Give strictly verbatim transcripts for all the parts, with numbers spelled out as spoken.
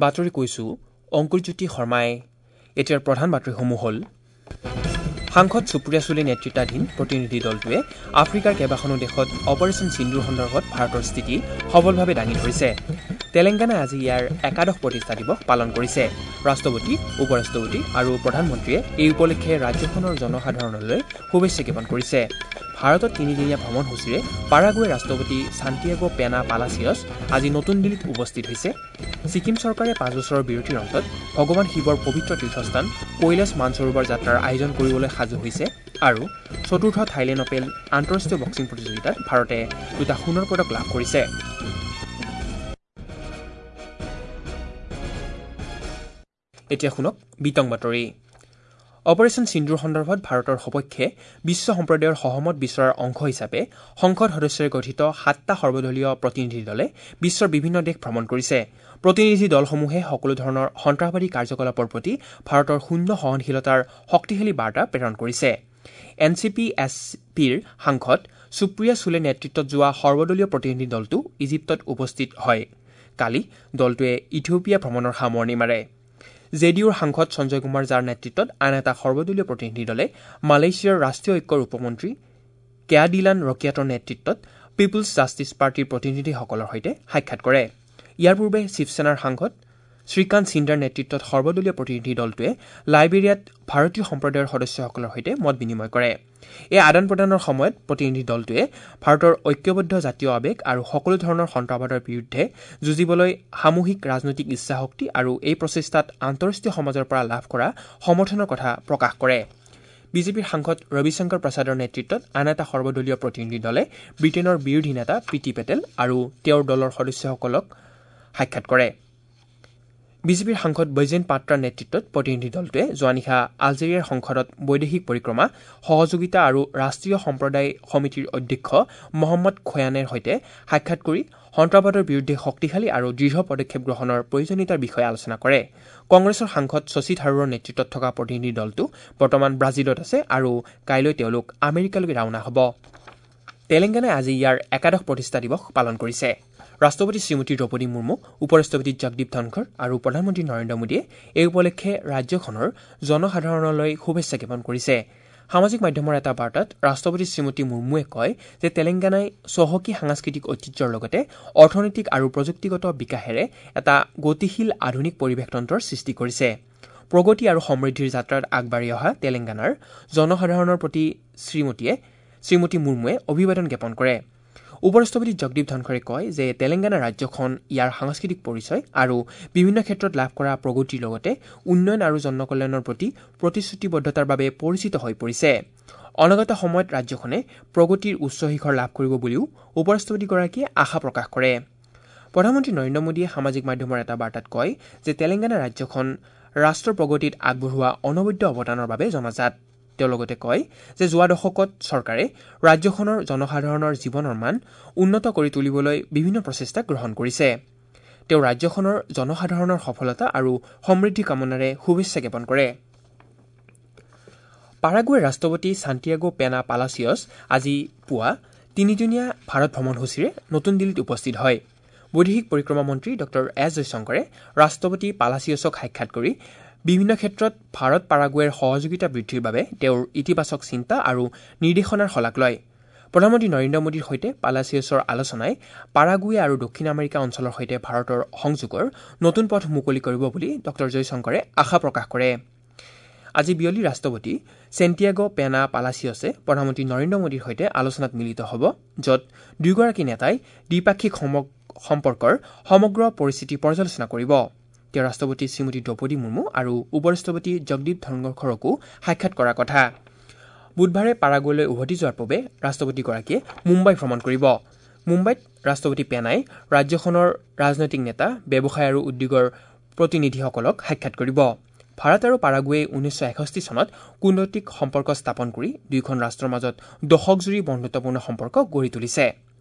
বাতৰি কৈছো অংকুৰজ্যোতি শৰ্মাই। এতিয়াৰ প্ৰধান বাতৰিসমূহ হ'ল: সাংসদ সুপ্ৰিয়া চুলে নেতৃত্বাধীন প্ৰতিনিধি দলটোৱে আফ্ৰিকাৰ কেইবাখনো দেশত অপাৰেচন সিন্দুৰ সন্দৰ্ভত ভাৰতৰ স্থিতি সবলভাৱে দাঙি ধৰিছে। তেলেংগানাই আজি ইয়াৰ একাদশ প্ৰতিষ্ঠা দিৱস পালন কৰিছে। ৰাষ্ট্ৰপতি, উপ ৰাষ্ট্ৰপতি আৰু প্ৰধানমন্ত্ৰীয়ে এই উপলক্ষে ৰাজ্যখনৰ জনসাধাৰণলৈ শুভেচ্ছা জ্ঞাপন কৰিছে। ভাৰতত তিনিদিনীয়া ভ্ৰমণসূচীৰে পাৰাগুৱে ৰাষ্ট্ৰপতি ছান্টিয়াগো পেনা পালাচিয়ছ আজি নতুন দিল্লীত উপস্থিত হৈছে। ছিকিম চৰকাৰে পাঁচ বছৰৰ বিৰতিৰ অন্তত ভগৱান শিৱৰ পবিত্ৰ তীৰ্থস্থান কৈলাশ মানসৰোবৰ যাত্ৰাৰ আয়োজন কৰিবলৈ সাজু হৈছে। আৰু চতুৰ্থ থাইলেণ্ড অপেন আন্তঃৰাষ্ট্ৰীয় বক্সিং প্ৰতিযোগিতাত ভাৰতে দুটা সোণৰ পদক লাভ কৰিছে। এতিয়া শুনক বিতং বাতৰি। অপাৰেচন সিন্দুৰ সন্দৰ্ভত ভাৰতৰ সপক্ষে বিশ্ব সম্প্ৰদায়ৰ সহমত বিচৰাৰ অংশ হিচাপে সংসদ সদস্যৰে গঠিত সাতটা সৰ্বদলীয় প্ৰতিনিধি দলে বিশ্বৰ বিভিন্ন দেশ ভ্ৰমণ কৰিছে। প্ৰতিনিধি দলসমূহে সকলো ধৰণৰ সন্ত্ৰাসবাদী কাৰ্যকলাপৰ প্ৰতি ভাৰতৰ শূন্য সহনশীলতাৰ শক্তিশালী বাৰ্তা প্ৰেৰণ কৰিছে। এন চি পি এছ পিৰ সাংসদ সুপ্ৰিয়া চুলে নেতৃত্বত যোৱা সৰ্বদলীয় প্ৰতিনিধি দলটো ইজিপ্তত উপস্থিত হয়। কালি দলটোৱে ইথিঅপিয়া ভ্ৰমণৰ সামৰণি মাৰে। জে ডি ইউৰ সাংসদ সঞ্জয় কুমাৰ ঝাৰ নেতৃত্বত আন এটা সৰ্বদলীয় প্ৰতিনিধি দলে মালয়েছিয়াৰ ৰাষ্ট্ৰীয় ঐক্যৰ উপমন্ত্ৰী কেয়াডিলান ৰকিয়াটৰ নেতৃত্বত পিপুলছ জাষ্টিছ পাৰ্টীৰ প্ৰতিনিধিসকলৰ সৈতে সাক্ষাৎ কৰে। ইয়াৰ পূৰ্বে শিৱসেনাৰ সাংসদ শ্ৰীকান্ত সিন্ধাৰ নেতৃত্বত সৰ্বদলীয় প্ৰতিনিধি দলটোৱে লাইবেৰিয়াত ভাৰতীয় সম্প্ৰদায়ৰ সদস্যসকলৰ সৈতে মত বিনিময় কৰে। এই আদান প্ৰদানৰ সময়ত প্ৰতিনিধি দলটোৱে ভাৰতৰ ঐক্যবদ্ধ জাতীয় আৱেগ আৰু সকলো ধৰণৰ সন্ত্ৰাসবাদৰ বিৰুদ্ধে যুঁজিবলৈ সামূহিক ৰাজনৈতিক ইচ্ছাশক্তি আৰু এই প্ৰচেষ্টাত আন্তঃৰাষ্ট্ৰীয় সমাজৰ পৰা লাভ কৰা সমৰ্থনৰ কথা প্ৰকাশ কৰে। বিজেপিৰ সাংসদ ৰবিশংকৰ প্ৰসাদৰ নেতৃত্বত আন এটা সৰ্বদলীয় প্ৰতিনিধি দলে ব্ৰিটেইনৰ বিৰোধী নেতা প্ৰীতি পেটেল আৰু তেওঁৰ দলৰ সদস্যসকলক সাক্ষাৎ কৰে। বিজেপিৰ সাংসদ বৈজেন পাত্ৰাৰ নেতৃত্বত প্ৰতিনিধি দলটোৱে যোৱা নিশা আলজেৰিয়াৰ সংসদত বৈদেশিক পৰিক্ৰমা, সহযোগিতা আৰু ৰাষ্ট্ৰীয় সম্প্ৰদায় সমিতিৰ অধ্যক্ষ মহম্মদ খয়ানেৰ সৈতে সাক্ষাৎ কৰি সন্ত্ৰাসবাদৰ বিৰুদ্ধে শক্তিশালী আৰু দৃঢ় পদক্ষেপ গ্ৰহণৰ প্ৰয়োজনীয়তাৰ বিষয়ে আলোচনা কৰে। কংগ্ৰেছৰ সাংসদ শশী থাৰুৰৰ নেতৃত্বত থকা প্ৰতিনিধি দলটো বৰ্তমান ব্ৰাজিলত আছে আৰু কাইলৈ তেওঁলোক আমেৰিকালৈ ৰাওনা হ'ব। তেলেংগানাই আজি ইয়াৰ একাদশ প্ৰতিষ্ঠা দিৱস পালন কৰিছে। ৰাষ্ট্ৰপতি শ্ৰীমতী দ্ৰৌপদী মুৰ্মু, উপ ৰাষ্ট্ৰপতি জগদীপ ধনখৰ আৰু প্ৰধানমন্ত্ৰী নৰেন্দ্ৰ মোদীয়ে এই উপলক্ষে ৰাজ্যখনৰ জনসাধাৰণলৈ শুভেচ্ছা জ্ঞাপন কৰিছে। সামাজিক মাধ্যমৰ এটা বাৰ্তাত ৰাষ্ট্ৰপতি শ্ৰীমতী মুৰ্মুৱে কয় যে তেলেংগানাই চহকী সাংস্কৃতিক ঐতিহ্যৰ লগতে অৰ্থনৈতিক আৰু প্ৰযুক্তিগত বিকাশেৰে এটা গতিশীল আধুনিক পৰিৱেশতন্ত্ৰৰ সৃষ্টি কৰিছে। প্ৰগতি আৰু সমৃদ্ধিৰ যাত্ৰাত আগবাঢ়ি অহা তেলেংগানাৰ জনসাধাৰণৰ প্ৰতি শ্ৰীমতীয়ে শ্ৰীমতী মুৰ্মুৱে অভিবাদন জ্ঞাপন কৰে। উপ ৰাষ্ট্ৰপতি জগদীপ ধনখৰে কয় যে তেলেংগানা ৰাজ্যখন ইয়াৰ সাংস্কৃতিক পৰিচয় আৰু বিভিন্ন ক্ষেত্ৰত লাভ কৰা প্ৰগতিৰ লগতে উন্নয়ন আৰু জনকল্যাণৰ প্ৰতি প্ৰতিশ্ৰুতিবদ্ধতাৰ বাবে পৰিচিত হৈ পৰিছে। অনাগত সময়ত ৰাজ্যখনে প্ৰগতিৰ উচ্চ শিখৰ লাভ কৰিব বুলিও উপ ৰাষ্ট্ৰপতিগৰাকীয়ে আশা প্ৰকাশ কৰে। প্ৰধানমন্ত্ৰী নৰেন্দ্ৰ মোদীয়ে সামাজিক মাধ্যমৰ এটা বাৰ্তাত কয় যে তেলেংগানা ৰাজ্যখন ৰাষ্ট্ৰৰ প্ৰগতিত আগবঢ়োৱা অনবদ্য অৱদানৰ বাবে জনাজাত। তেওঁ লগতে কয় যে যোৱা দশকত চৰকাৰে ৰাজ্যখনৰ জনসাধাৰণৰ জীৱনৰ মান উন্নত কৰি তুলিবলৈ বিভিন্ন প্ৰচেষ্টা গ্ৰহণ কৰিছে। তেওঁ ৰাজ্যখনৰ জনসাধাৰণৰ সফলতা আৰু সমৃদ্ধি কামনাৰে শুভেচ্ছা জ্ঞাপন কৰে। পাৰাগুৱেৰ ৰাষ্ট্ৰপতি ছান্টিয়াগো পেনা পালাচিয়ছ আজি পুৱা তিনিদিনীয়া ভাৰত ভ্ৰমণসূচীৰে নতুন দিল্লীত উপস্থিত হয়। বৈদেশিক পৰিক্ৰমা মন্ত্ৰী ডক্টৰ এছ জয়শংকৰে ৰাষ্ট্ৰপতি পালাচিয়ছক সাক্ষাৎ কৰি বিভিন্ন ক্ষেত্ৰত ভাৰত পাৰাগুৱেৰ সহযোগিতা বৃদ্ধিৰ বাবে তেওঁৰ ইতিবাচক চিন্তা আৰু নিৰ্দেশনাৰ শলাগ লয়। প্ৰধানমন্ত্ৰী নৰেন্দ্ৰ মোদীৰ সৈতে পালাচিয়ছৰ আলোচনাই পাৰাগুৱে আৰু দক্ষিণ আমেৰিকা অঞ্চলৰ সৈতে ভাৰতৰ সংযোগৰ নতুন পথ মুকলি কৰিব বুলি ডক্টৰ জয়শংকৰে আশা প্ৰকাশ কৰে। আজি বিয়লি ৰাষ্ট্ৰপতি চেণ্টিয়াগো পেনা পালাচিয়ছে প্ৰধানমন্ত্ৰী নৰেন্দ্ৰ মোদীৰ সৈতে আলোচনাত মিলিত হ'ব, য'ত দুয়োগৰাকী নেতাই দ্বিপাক্ষিক সম্পৰ্কৰ সমগ্ৰ পৰিস্থিতি পৰ্যালোচনা কৰিব। তেওঁ ৰাষ্ট্ৰপতি শ্ৰীমতী দ্ৰৌপদী মুৰ্মু আৰু উপ ৰাষ্ট্ৰপতি জগদীপ ধনখৰকো সাক্ষাৎ কৰাৰ কথা। বুধবাৰে পাৰাগুৱেলৈ উভতি যোৱাৰ পূৰ্বে ৰাষ্ট্ৰপতিগৰাকীয়ে মুম্বাই ভ্ৰমণ কৰিব। মুম্বাইত ৰাষ্ট্ৰপতি পেনাই ৰাজ্যখনৰ ৰাজনৈতিক নেতা, ব্যৱসায় আৰু উদ্যোগৰ প্ৰতিনিধিসকলক সাক্ষাৎ কৰিব। ভাৰত আৰু পাৰাগুৱে ঊনৈছশ এষষ্ঠি চনত কূটনৈতিক সম্পৰ্ক স্থাপন কৰি দুয়োখন ৰাষ্ট্ৰৰ মাজত দশকজুৰি বন্ধুত্বপূৰ্ণ সম্পৰ্ক গঢ়ি তুলিছে।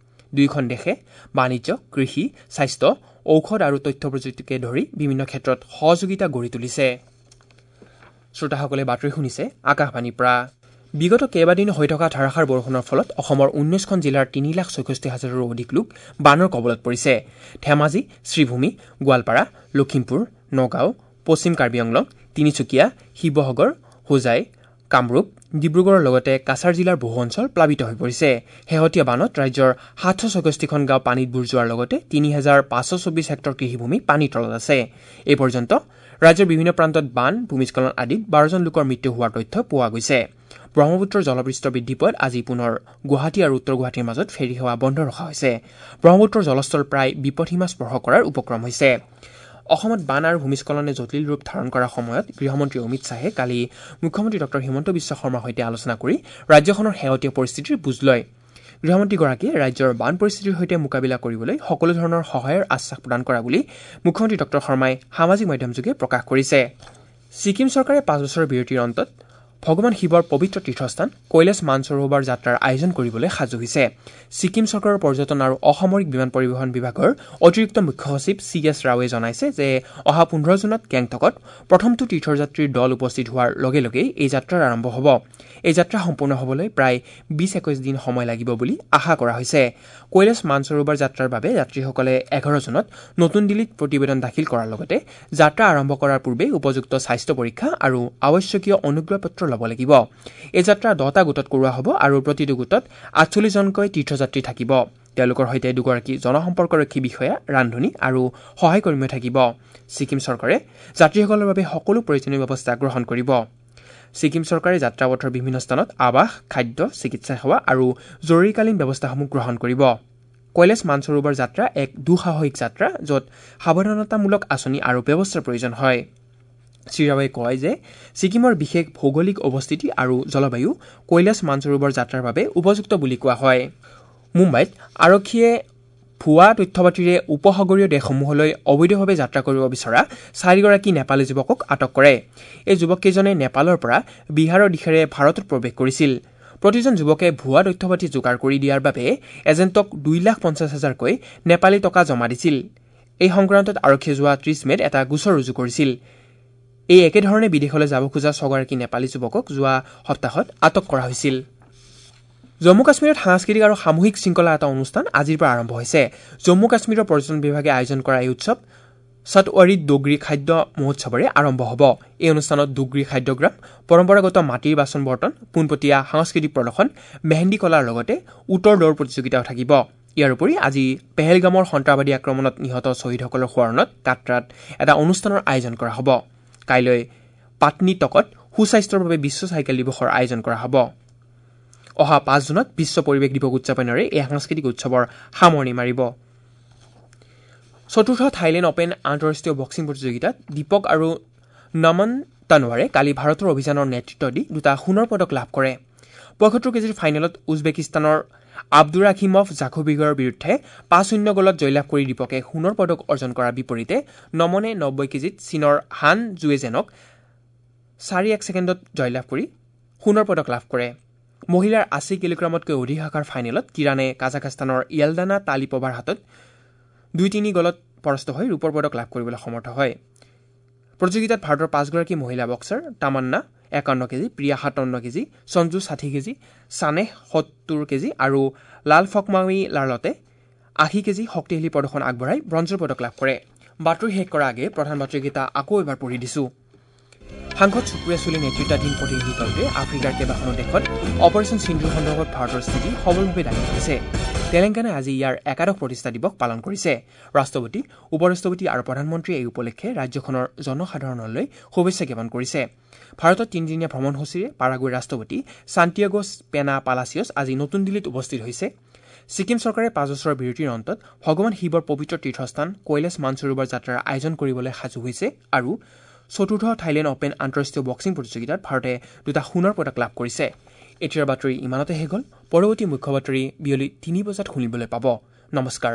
দুয়োখন দেশে বাণিজ্য, কৃষি, স্বাস্থ্য, ঔষধ আৰু তথ্য প্ৰযুক্তিকে ধৰি বিভিন্ন ক্ষেত্ৰত সহযোগিতা গঢ়ি তুলিছে। শ্ৰোতাসকলে বাতৰি শুনিছে আকাশবাণীৰ পৰা। বিগত কেইবাদিনো হৈ থকা ধাৰাসাৰ বৰষুণৰ ফলত অসমৰ ঊনৈছখন জিলাৰ তিনি লাখ ছয়ষষ্ঠি হাজাৰৰো অধিক লোক বানৰ কবলত পৰিছে। ধেমাজি, শ্ৰীভূমি, গোৱালপাৰা, লখিমপুৰ, নগাঁও, পশ্চিম কাৰ্বি আংলং, তিনিচুকীয়া, শিৱসাগৰ, হোজাই, কামৰূপ, ডিব্ৰুগড়ৰ লগতে কাছাৰ জিলাৰ বহু অঞ্চল প্লাবিত হৈ পৰিছে। শেহতীয়া বানত ৰাজ্যৰ সাতশ ছয়ষষ্ঠিখন গাঁও পানীত বুৰ যোৱাৰ লগতে তিনি হাজাৰ পাঁচশ চৌবিছ হেক্টৰ কৃষিভূমি পানীৰ তলত আছে। এই পৰ্যন্ত ৰাজ্যৰ বিভিন্ন প্ৰান্তত বান, ভূমিস্খলন আদিত বাৰজন লোকৰ মৃত্যু হোৱাৰ তথ্য পোৱা গৈছে। ব্ৰহ্মপুত্ৰৰ জলপৃষ্ঠ বৃদ্ধি পোৱাত আজি পুনৰ গুৱাহাটী আৰু উত্তৰ গুৱাহাটীৰ মাজত ফেৰী সেৱা বন্ধ ৰখা হৈছে। ব্ৰহ্মপুত্ৰৰ জলস্তৰ প্ৰায় বিপদসীমা স্পৰ্শ কৰাৰ উপক্ৰম হৈছে। অসমত বান আৰু ভূমিস্খলনে জটিল ৰূপ ধাৰণ কৰাৰ সময়ত গৃহমন্ত্ৰী অমিত শ্বাহে কালি মুখ্যমন্ত্ৰী ডঃ হিমন্ত বিশ্ব শৰ্মাৰ সৈতে আলোচনা কৰি ৰাজ্যখনৰ শেহতীয়া পৰিস্থিতিৰ বুজ লয়। গৃহমন্ত্ৰীগৰাকীয়ে ৰাজ্যৰ বান পৰিস্থিতিৰ সৈতে মোকাবিলা কৰিবলৈ সকলো ধৰণৰ সহায়ৰ আশ্বাস প্ৰদান কৰা বুলি মুখ্যমন্ত্ৰী ডঃ শৰ্মাই সামাজিক মাধ্যমযোগে প্ৰকাশ কৰিছে। ছিকিম চৰকাৰে পাঁচ বছৰৰ বিৰতিৰ অন্তত ভগৱান শিৱৰ পবিত্ৰ তীৰ্থস্থান কৈলাশ মানসৰোবৰ যাত্ৰাৰ আয়োজন কৰিবলৈ সাজু হৈছে। ছিকিম চৰকাৰৰ পৰ্যটন আৰু অসামৰিক বিমান পৰিবহণ বিভাগৰ অতিৰিক্ত মুখ্য সচিব চি এছ ৰাওৱে জনাইছে যে অহা পোন্ধৰ জুনত গেংটকত প্ৰথমটো তীৰ্থযাত্ৰীৰ দল উপস্থিত হোৱাৰ লগে লগেই এই যাত্ৰাৰ আৰম্ভ হ'ব। এই যাত্ৰা সম্পূৰ্ণ হ'বলৈ প্ৰায় বিছ একৈছ দিন সময় লাগিব বুলি আশা কৰা হৈছে। কৈলাশ মানসৰোবৰ যাত্ৰাৰ বাবে যাত্ৰীসকলে এঘাৰ জুনত নতুন দিল্লীত প্ৰতিবেদন দাখিল কৰাৰ লগতে যাত্ৰা আৰম্ভ কৰাৰ পূৰ্বে উপযুক্ত স্বাস্থ্য পৰীক্ষা আৰু আৱশ্যকীয় অনুজ্ঞাপত্ৰ ল'ব লাগিব। এই যাত্ৰা দহটা গোটত কৰোৱা হ'ব আৰু প্ৰতিটো গোটত আঠচল্লিছজনকৈ তীৰ্থযাত্ৰী থাকিব। তেওঁলোকৰ সৈতে দুগৰাকী জনসম্পৰ্কৰক্ষী বিষয়া, ৰান্ধনী আৰু সহায়কৰ্মীও থাকিব। ছিকিম চৰকাৰে যাত্ৰীসকলৰ বাবে সকলো প্ৰয়োজনীয় ব্যৱস্থা গ্ৰহণ কৰিব। ছিকিম চৰকাৰে যাত্ৰাপথৰ বিভিন্ন স্থানত আৱাস, খাদ্য, চিকিৎসা সেৱা আৰু জৰুৰীকালীন ব্যৱস্থাসমূহ গ্ৰহণ কৰিব। কৈলাশ মানসৰোবৰ যাত্ৰা এক দুঃসাহসিক যাত্ৰা, য'ত সাৱধানতামূলক আঁচনি আৰু ব্যৱস্থাৰ প্ৰয়োজন হয়। শ্ৰীৰাৱে কয় যে ছিকিমৰ বিশেষ ভৌগোলিক অৱস্থিতি আৰু জলবায়ু কৈলাশ মানসৰোবৰ যাত্ৰাৰ বাবে উপযুক্ত বুলি কোৱা হয়। মুম্বাইত আৰক্ষীয়ে ভুৱা তথ্যপাতিৰে উপসাগৰীয় দেশসমূহলৈ অবৈধভাৱে যাত্ৰা কৰিব বিচৰা চাৰিগৰাকী নেপালী যুৱকক আটক কৰে। এই যুৱককেইজনে নেপালৰ পৰা বিহাৰৰ দিশেৰে ভাৰতত প্ৰৱেশ কৰিছিল। প্ৰতিজন যুৱকে ভুৱা তথ্যপাতি যোগাৰ কৰি দিয়াৰ বাবে এজেণ্টক দুই লাখ পঞ্চাছ হাজাৰকৈ নেপালী টকা জমা দিছিল। এই সংক্ৰান্তত আৰক্ষীয়ে যোৱা ত্ৰিছ মে'ত এটা গোচৰ ৰুজু কৰিছিল। এই একেধৰণে বিদেশলৈ যাব খোজা ছগৰাকী নেপালী যুৱকক যোৱা সপ্তাহত আটক কৰা হৈছিল। জম্মু কাশ্মীৰত সাংস্কৃতিক আৰু সামূহিক শৃংখলা এটা অনুষ্ঠান আজিৰ পৰা আৰম্ভ হৈছে। জম্মু কাশ্মীৰৰ পৰ্যটন বিভাগে আয়োজন কৰা এই উৎসৱ সতৱাৰীত ডোগৰী খাদ্য মহোৎসৱেৰে আৰম্ভ হ'ব। এই অনুষ্ঠানত ডোগৰী খাদ্যগ্ৰাম, পৰম্পৰাগত মাটিৰ বাচন বৰ্তন, পোনপটীয়া সাংস্কৃতিক প্ৰদৰ্শন, মেহেন্দী কলাৰ লগতে উটৰ দৌৰ প্ৰতিযোগিতাও থাকিব। ইয়াৰ উপৰি আজি পেহেলগামৰ সন্ত্ৰাসবাদী আক্ৰমণত নিহত শ্বহীদসকলৰ সোঁৱৰণত কাটৰাত এটা অনুষ্ঠানৰ আয়োজন কৰা হ'ব। কাইলৈ পাটনী টকত সুস্বাস্থ্যৰ বাবে বিশ্ব চাইকেল দিৱসৰ আয়োজন কৰা হ'ব। অহা পাঁচ জুনত বিশ্ব পৰিৱেশ দিৱস উদযাপনেৰে এই সাংস্কৃতিক উৎসৱৰ সামৰণি মাৰিব। চতুৰ্থ থাইলেণ্ড অপেন আন্তঃৰাষ্ট্ৰীয় বক্সিং প্ৰতিযোগিতাত দীপক আৰু নমন তানৱাৰে কালি ভাৰতৰ অভিযানৰ নেতৃত্ব দি দুটা সোণৰ পদক লাভ কৰে। পঁয়সত্তৰ কেজিৰ ফাইনেলত উজবেকিস্তানৰ আব্দুৰাখিমভ জাখুবিগৰ বিৰুদ্ধে পাঁচ শূন্য গ'লত জয়লাভ কৰি দীপকে সোণৰ পদক অৰ্জন কৰাৰ বিপৰীতে নমনে নব্বৈ কেজিত চীনৰ হান জুৱেজেনক চাৰি এক ছেকেণ্ডত জয়লাভ কৰি সোণৰ পদক লাভ কৰে। মহিলাৰ আশী কিলোগ্ৰামতকৈ অধিক শাখাৰ ফাইনেলত কিৰাণে কাজাখাস্তানৰ য়েলদানা তালিপভাৰ হাতত দুই তিনি গ'লত পৰাস্ত হৈ ৰূপৰ পদক লাভ কৰিবলৈ সমৰ্থ হয়। প্ৰতিযোগিতাত ভাৰতৰ পাঁচগৰাকী মহিলা বক্সাৰ তামান্না একাৱন্ন কেজি, প্ৰিয়া সাতাৱন্ন কেজি, সঞ্জু ষাঠি কেজি, চানেহ সত্তৰ কেজি আৰু লাল ফকমাউই লালতে আশী কেজি শক্তিশালী প্ৰদৰ্শন আগবঢ়াই ব্ৰঞ্জৰ পদক লাভ কৰে। বাতৰি শেষ কৰাৰ আগে প্ৰধান বাতৰিকেইটা আকৌ এবাৰ পঢ়ি দিছোঁ। সাংসদ সুপ্ৰিয়া চুলে নেতৃত্বাধীন প্ৰতিনিধি দলটোৱে আফ্ৰিকাৰ কেইবাখনো দেশত অপাৰেচন সিন্ধুৰ সন্দৰ্ভত ভাৰতৰ স্থিতি সবলভাৱে দাঙি ধৰিছে। তেলেংগানাই আজি ইয়াৰ একাদশ প্ৰতিষ্ঠা দিৱস পালন কৰিছে। ৰাষ্ট্ৰপতি, উপ ৰাষ্ট্ৰপতি আৰু প্ৰধানমন্ত্ৰীয়ে এই উপলক্ষে ৰাজ্যখনৰ জনসাধাৰণলৈ শুভেচ্ছা জ্ঞাপন কৰিছে। ভাৰতত তিনিদিনীয়া ভ্ৰমণসূচীৰে পাৰাগুৱেৰ ৰাষ্ট্ৰপতি ছান্টিয়াগো পেনা পালাচিয়ছ আজি নতুন দিল্লীত উপস্থিত হৈছে। ছিকিম চৰকাৰে পাঁচ বছৰৰ বিৰতিৰ অন্তত ভগৱান শিৱৰ পবিত্ৰ তীৰ্থস্থান কৈলাশ মানসৰোবৰ যাত্ৰাৰ আয়োজন কৰিবলৈ সাজু হৈছে আৰু চতুৰ্থ থাইলেণ্ড অপেন আন্তঃৰাষ্ট্ৰীয় বক্সিং প্ৰতিযোগিতাত ভাৰতে দুটা সোণৰ পদক লাভ কৰিছে। এতিয়াৰ বাতৰি ইমানতে শেষ হ'ল। পৰৱৰ্তী মুখ্য বাতৰি বিয়লি তিনি বজাত শুনিবলৈ পাব। নমস্কাৰ।